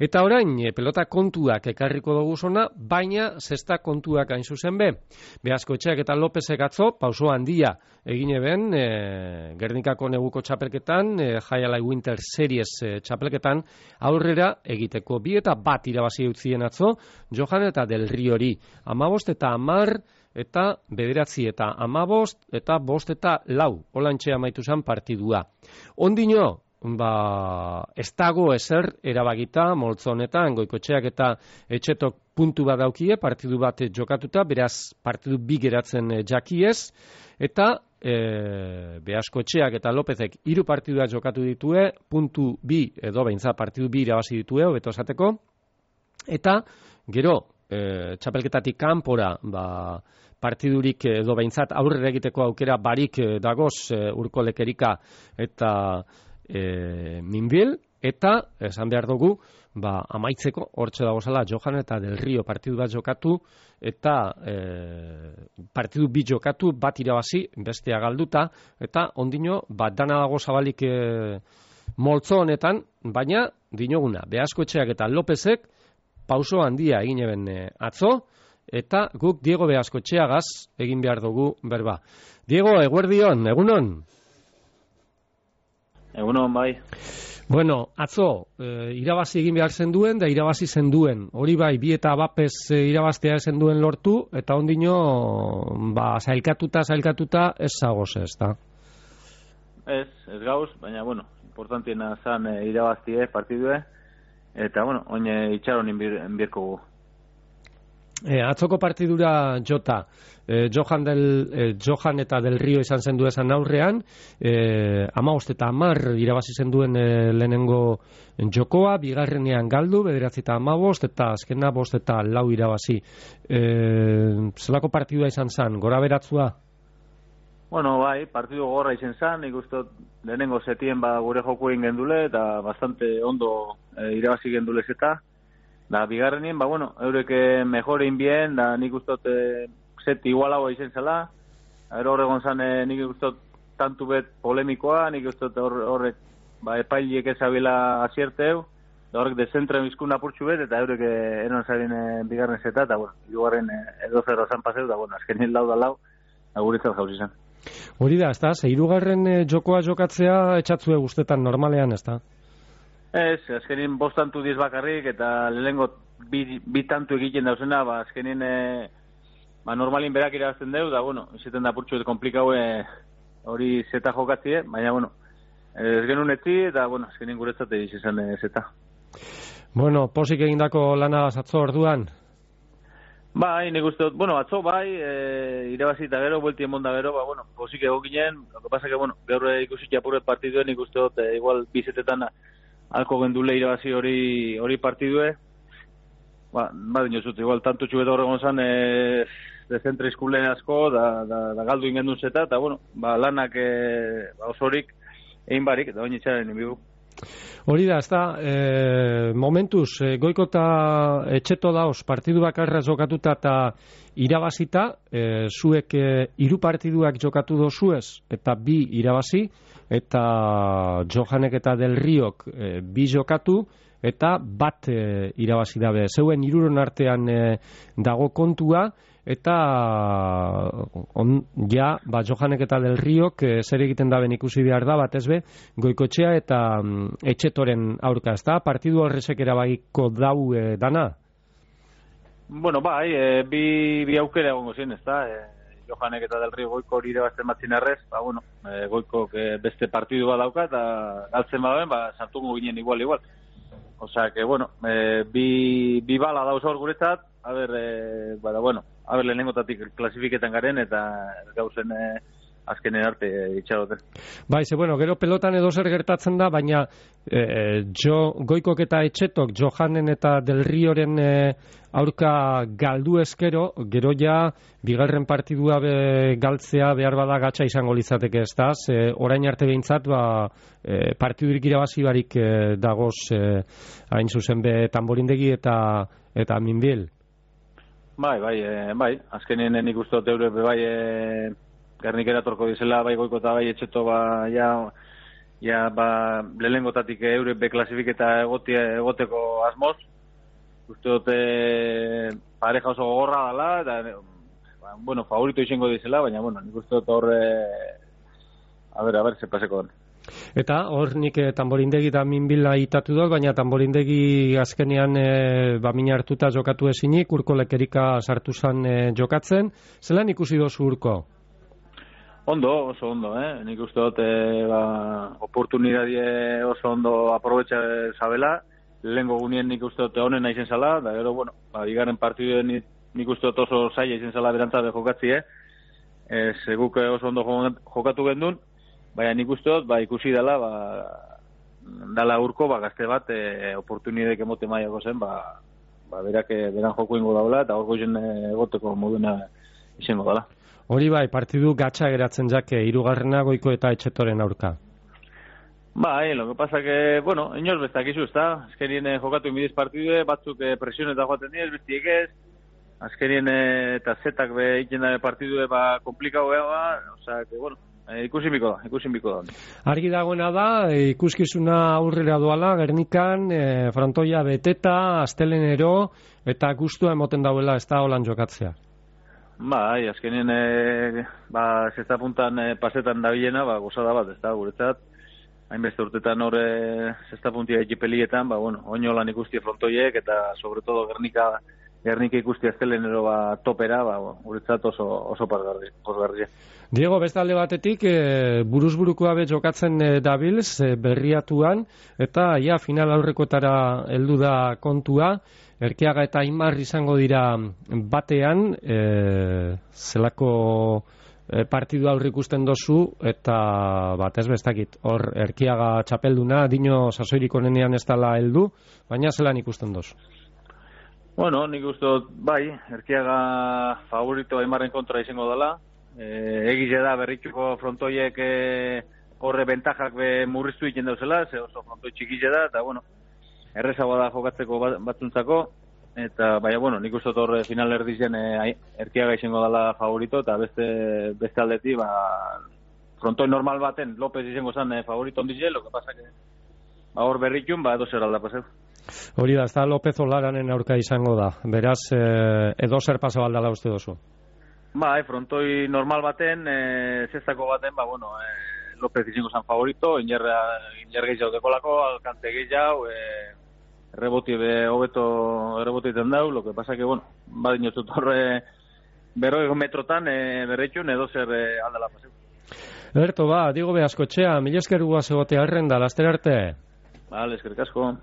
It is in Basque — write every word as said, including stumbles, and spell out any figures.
Eta orain, e, pelota kontuak ekarriko dugu zona, baina zesta kontuak hain zuzen be. Beazkotxeak eta Lopezek atzo, pauso handia egin eben, e, Gernikako neguko txapelketan, e, Jaialai Winter Series e, txapelketan, aurrera egiteko bi eta bat irabazi utzien atzo, Johan eta Del Riori. Amabost eta amar eta bederatzi eta amabost eta bost eta lau. Olantxe amaitu zen partidua. Ondino, ba, ez dago ezer erabagita moltzo honetan, Goikotxeak eta Etxetok puntu bat daukie, partidu bat jokatuta, beraz partidu bi geratzen jakiez, eta e, Beazkotxeak eta Lopezek hiru partidua jokatu ditue, puntu bi edo beintza partidu bi irabazi ditue, hobeto esateko, eta gero, e, txapelketatik kanpora, ba, partidurik edo behintzat aurrera egiteko aukera barik dagoz e, Urko Lekerika eta e, Minbil, eta esan behar dugu, ba, amaitzeko hortxe dagozala Johan eta Del Rio partidu bat jokatu, eta e, partidu bi jokatu, bat irabazi, bestea galduta, eta ondino, bat dana dago zabalik e, moltzo honetan, baina dinoguna, Beazkotxeak eta Lopezek pauso handia egin eben e, atzo, eta guk Diego Beazkotxeagaz egin behar dugu berba. Diego, eguerdion, egunon? Egunon, bai. Bueno, atzo, e, irabazi egin behar zenduen, da irabazi zenduen. Hori bai, bi eta bapez e, irabaztea zenduen lortu, eta ondino, ba, zailkatuta, zailkatuta, ez zagoz ez, da? Ez, ez gauz, baina, bueno, importantiena zan e, irabaztie partidue, eta, bueno, oin itxaron inbierko gu. E, atzoko partidura jota, e, Johan, del, e, Johan eta Del Rio izan zendu esan aurrean, e, amaost eta amar irabazi zenduen e, lehenengo jokoa, bigarrenean galdu, bederatzi eta amabost, eta azkena bost eta lau irabazi. E, zelako partidua izan zen, gora beratzua? Bueno, bai, partidu gorra izan zen, ikustot lehenengo zetien ba, gure joku egin gendule, eta bastante ondo e, irabazi gendulez eta, da, bigarrenien, ba, bueno, eureke mejorein bien, da, nik ustot e, set igualagoa izen zela, ero horregon zan, e, nik ustot tantu bet polemikoa, nik ustot horrek, ba, epailiek ezabila azierteu, da horrek dezentra bizkun apurtxu bet, eta eureke eron zaren e, bigarren zeta, eta, bueno, irugarren e, edo zerro zan paseu, da, bueno, azkenin lau da lau, aguritzat jauz izan. Hori da, ez da, ze hirugarren e, jokoa jokatzea etxatzue guztetan normalean, ez da? Ez, azkenin bost tantu diez bakarrik, eta lehenengo bi, bi tantu egiten dauzena, ba, azkenin e, ba, normalin berak irabazten deu, da, bueno, izaten da purtsu komplikau hori zeta jokatzie, baina, bueno, ez genuen etzi, eta, bueno, azkenin guretzate izan e, zeta. Bueno, posik egindako lana atzo orduan? Bai, nik uste dut, bueno, atzo bai, e, irabazi eta gero, buelti emon da gero, ba, bueno, posik egokinen, lo que pasa que, bueno, gaur ikusi txapuret partiduen, nik uste dut, e, igual, bizetetan alko gendule irabazi hori hori partidue. Ba, ba dinozut, igual, tanto txubeta horregon zan, e, de zentre izkule asko, da, da, da galdu ingendun zeta, eta, bueno, ba, lanak e, ba, osorik egin barik, eta bain itxaren inbigu. Hori da, ez da, e, momentuz, e, Goiko eta Etxeto daoz, partidu bakarra jokatuta eta irabazita, e, zuek e, hiru partiduak jokatu dozuez, eta bi irabazi, eta Johanek eta Del Riok e, bi jokatu, eta bat e, irabazi dabe. Zeuen hiruron artean e, dago kontua, eta on, ja, ba, Johanek eta Del Riok e, zer egiten daben ikusi behar da, bat ezbe, Goikotxea eta mm, Etxetoren aurka, ez da? Partidu horrezek erabagiko dau e, dana? Bueno, bai, e, bi, bi aukera egongo zen, ez da? E, Johanek eta Del Rio Goiko hori irabazten batzin errez, ba, bueno, e, Goiko e, beste partidu bat dauka, eta galtzen badoen, ba, sartungo ginen igual, igual. Osea, que, bueno, e, bi, bi bala dauz hor guretzat, a ber, e, bada, bueno, a ber, lehenengotatik klasifiketan garen, eta gauzen e, azkenen arte e, itxaroten. Bai, ze, bueno, gero pelotan edo zer gertatzen da, baina e, jo, Goikok eta Etxetok, Johanen eta Del Rioren e, aurka galdu ezkero, gero ja, bigarren partidua be, galtzea behar bada gatsa izango litzateke, ez da? Ze, orain arte behintzat, ba, e, partidurik irabazi barik e, dagoz, e, hain zuzen be, Tamborindegi eta, eta Minbil. Bai, bai, e, bai, azkenien nik uste dut eure, bai, e, Gernikera torko dizela, bai Goiko eta bai Etxeto, ba, ja, ja, ba, lehenengotatik eure be klasifiketa egotia, egoteko asmoz. Uste dute pareja oso gogorra dela, eta, ba, bueno, favorito izango dizela, baina, bueno, nik uste dut horre, a ber, a ber, ze paseko den. Eta hor nik eh, Tamborindegi da minbila itatu dut, baina Tamborindegi azkenean eh, bamina hartuta jokatu ezinik, Urko Lekerika sartu zan eh, jokatzen. Zelan ikusi dozu Urko? Ondo, oso ondo, eh? Nik uste dut, eh, ba, oportunidadie oso ondo aprobetxa zabela, lehenko gunien nik uste dut honen naizen zala, da gero, bueno, ba, bigarren partiduen nik, nik uste dut oso zaila izen zala berantzabe jokatzi, eh? Ez, guk oso ondo jokatu gendun, baina nik uste dut, ba, ikusi dela, ba, dala Urko, ba, gazte bat, e, oportunidek emote maiako zen, ba, ba, berak, beran joko ingo daula, eta horko izen egoteko moduna izango dela. Hori bai, partidu gatsa geratzen jake, hirugarrena Goiko eta Etxetoren aurka. Bai, lo que pasa que, bueno, inoz bestakizu, ezta? Azkenien eh, jokatu inbidiz partidue, batzuk eh, presioneta joaten diez, bestiek ez, azkenien eh, eta zetak be iken da partidue ba komplikau ega, osea, que, bueno, eh, ikusi biko da, ikusi biko da. Argi dagoena da, eh, ikuskizuna aurrera doala, Gernikan, eh, frontoia beteta, astelenero, eta gustua emoten dauela, ez da holan jokatzea. Bai, azkenien, eh, ba, zesta puntan eh, pasetan dabilena, ba, gozada bat, ez da, guretzat, hainbeste urtetan horre zesta puntia ekipelietan, ba, bueno, oino lan ikusti frontoiek, eta sobre todo Gernika, Gernika ikusti aztelenero ba, topera, ba, guretzat oso, oso posgarria. Diego, beste alde batetik, e, buruzburukoa be jokatzen e, dabilz, e, berriatuan, eta ja, final aurrekotara heldu da kontua, Erkiaga eta Aimar izango dira batean, e, zelako e, partidu aurre ikusten dozu, eta bat ez bestakit, hor Erkiaga txapelduna, dino sasoirik onenean ez dela heldu, baina zelan ikusten dozu? Bueno, nik uste dut, bai, Erkiaga favorito Aimarren kontra izango dela, e, egize da berrituko frontoiek e, horre bentajak be murriztu egiten dauzela, ze oso frontoi txikize da, eta bueno, errezagoa da jokatzeko batzuntzako, eta baina, bueno, nik uste dut horre final erdizen e, Erkiaga izango dela favorito, eta beste, beste aldeti, ba, frontoi normal baten, López izango zen e, favorito ondize, lo que pasa que ba, hor berritun, ba, edo zer alda paseu. Hori da, ez da López Olaranen aurka izango da, beraz, eh, edo zer paso aldala uste dozu? Ba, e, frontoi normal baten, e, zestako baten, ba, bueno, e, López izango zen favorito, inerra, iner gehiago dekolako, alkante gehiago, e, reboti be, hobeto rebotiten dau, lo que pasa que, bueno, ba, dinotut horre, berroi metrotan, e, berretxun, edo zer e, aldala paseu. Erto, ba, Diego Beaskotxea, mila esker guaz egotea errenda, laster arte. Vale, eskerrik asko.